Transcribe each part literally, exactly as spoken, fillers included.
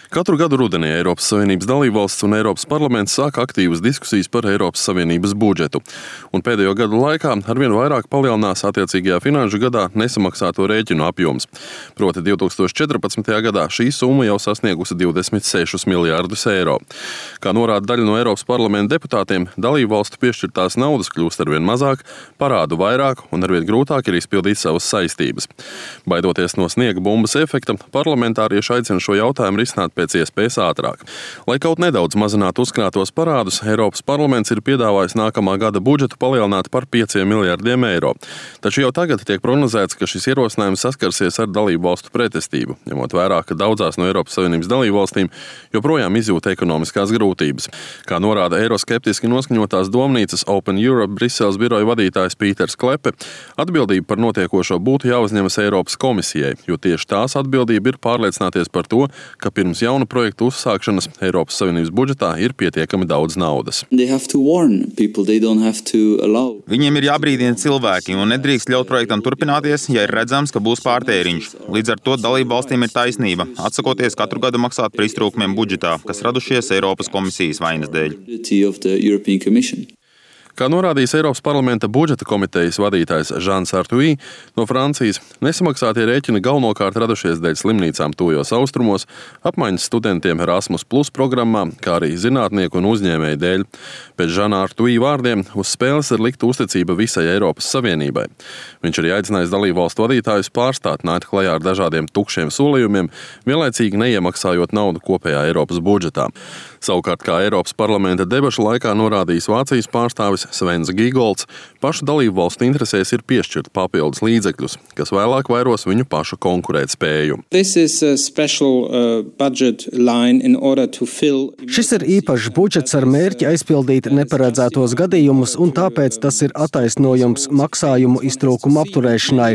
Katru gadu rudenī Eiropas Savienības dalībvalsts un Eiropas parlaments sāk aktīvas diskusijas par Eiropas Savienības budžetu. Un pēdējo gadu laikā arvien vairāk palielinās attiecīgajā finanšu gadā nesamaksāto rēķinu apjoms. Proti divtūkstoš četrpadsmitajā gadā šī summa jau sasniegusi divdesmit sešus miljārdus eiro. Kā norāda daļa no Eiropas parlamenta deputātiem, dalībvalstu piešķirtās naudas kļūst arvien mazāk, parādu vairāk un arvien grūtāk ir izpildīt savas saistības. Baidoties no sniega bumbas efekta, parlamentārieši aicina šo jautājumu risināt pēc iespējas ātrāk. Lai kaut nedaudz mazinātu uzkrātos parādus, Eiropas parlaments ir piedāvājis nākamā gada budžetu palielināt par pieciem miljardiem eiro. Taču jau tagad tiek prognozēts, ka šis ierosinājums saskarsies ar dalību valstu pretestību, ņemot vērā, ka daudzās no Eiropas Savienības dalību valstīm joprojām izjūt ekonomiskās grūtības. Kā norāda eiroskeptiski noskaņotās domnīcas Open Europe Briseles biroja vadītājs Pīters Klepe, atbildība par notiekošo būtu jāuzņemas Eiropas komisijai, jo tieši tās atbildība ir pārliecināties par to, ka pirms jaunu projektu uzsākšanas Eiropas Savienības budžetā ir pietiekami daudz naudas. Viņiem ir jābrīdina cilvēki un nedrīkst ļaut projektam turpināties, ja ir redzams, ka būs pārtēriņš. Līdz ar to dalību valstīm ir taisnība, atsakoties katru gadu maksāt par iztrūkumiem budžetā, kas radušies Eiropas komisijas vainas dēļ. Kā norādījis Eiropas parlamenta budžeta komitejas vadītājs Žans Artuī no Francijas, nesamaksātie rēķini galvenokārt radušies dēļ slimnīcām tuvajos austrumos, apmaiņas studentiem Erasmus Plus programmā, kā arī zinātnieku un uzņēmēju dēļ. Pēc Žana Artuī vārdiem uz spēles ir likta uzticība visai Eiropas Savienībai. Viņš arī aicinājis dalībvalstu vadītājus pārstāt nākt klajā ar dažādiem tukšiem solījumiem, vienlaicīgi neiemaksājot naudu kopējā Eiropas budžetā. Savukārt, kā Eiropas parlamenta debašu laikā norādījis Vācijas pārstāvis Svens Gīgolds, pašu dalību valstu interesēs ir piešķirt papildus līdzekļus, kas vēlāk vairos viņu pašu konkurētspēju. Special, uh, fill... Šis ir īpašs budžets ar mērķi aizpildīt neparedzētos gadījumus, un tāpēc tas ir attaisnojums maksājumu iztrūkumu apturēšanai.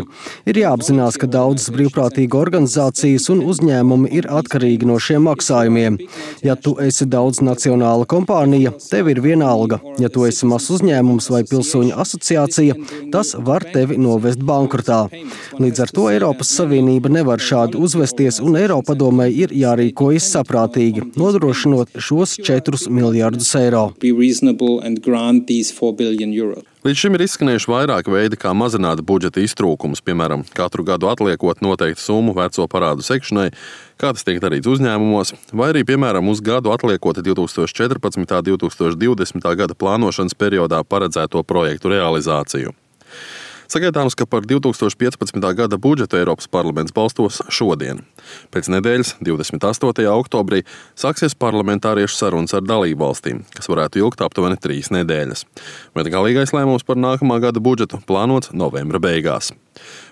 Ir jāapzinās, ka daudzas brīvprātīga organizācijas un uzņēmumi ir atkarīgi no šiem maksājumiem. Ja tu esi daudz nacionāla kompānija, tev ir vienalga. Ja tu esi mazs uzņēmums vai pilsoņu asociācija, tas var tevi novest bankrotā. Līdz ar to Eiropas Savienība nevar šādi uzvesties, un Eiropadomei ir jārīkojas saprātīgi, nodrošinot šos četrus miljardus eiro. Līdz šim ir izskanējuši vairāki veidi, kā mazināt budžeta iztrūkumus, piemēram, katru gadu atliekot noteiktu summu veco parādu sekšanai, kā tas tiek darīts uzņēmumos, vai arī, piemēram, uz gadu atliekot divtūkstoš četrpadsmitā un divtūkstoš divdesmitā gada plānošanas periodā paredzēto projektu realizāciju. Sagaidāms, ka par divtūkstoš piecpadsmitā gada budžetu Eiropas parlaments balstos šodien. Pēc nedēļas, divdesmit astotajā oktobrī, sāksies parlamentāriešu sarunas ar dalību valstīm, kas varētu ilgt aptuveni trīs nedēļas. Bet galīgais lēmums par nākamā gada budžetu plānots novembra beigās.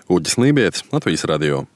Uģis Lībietis, Latvijas radio.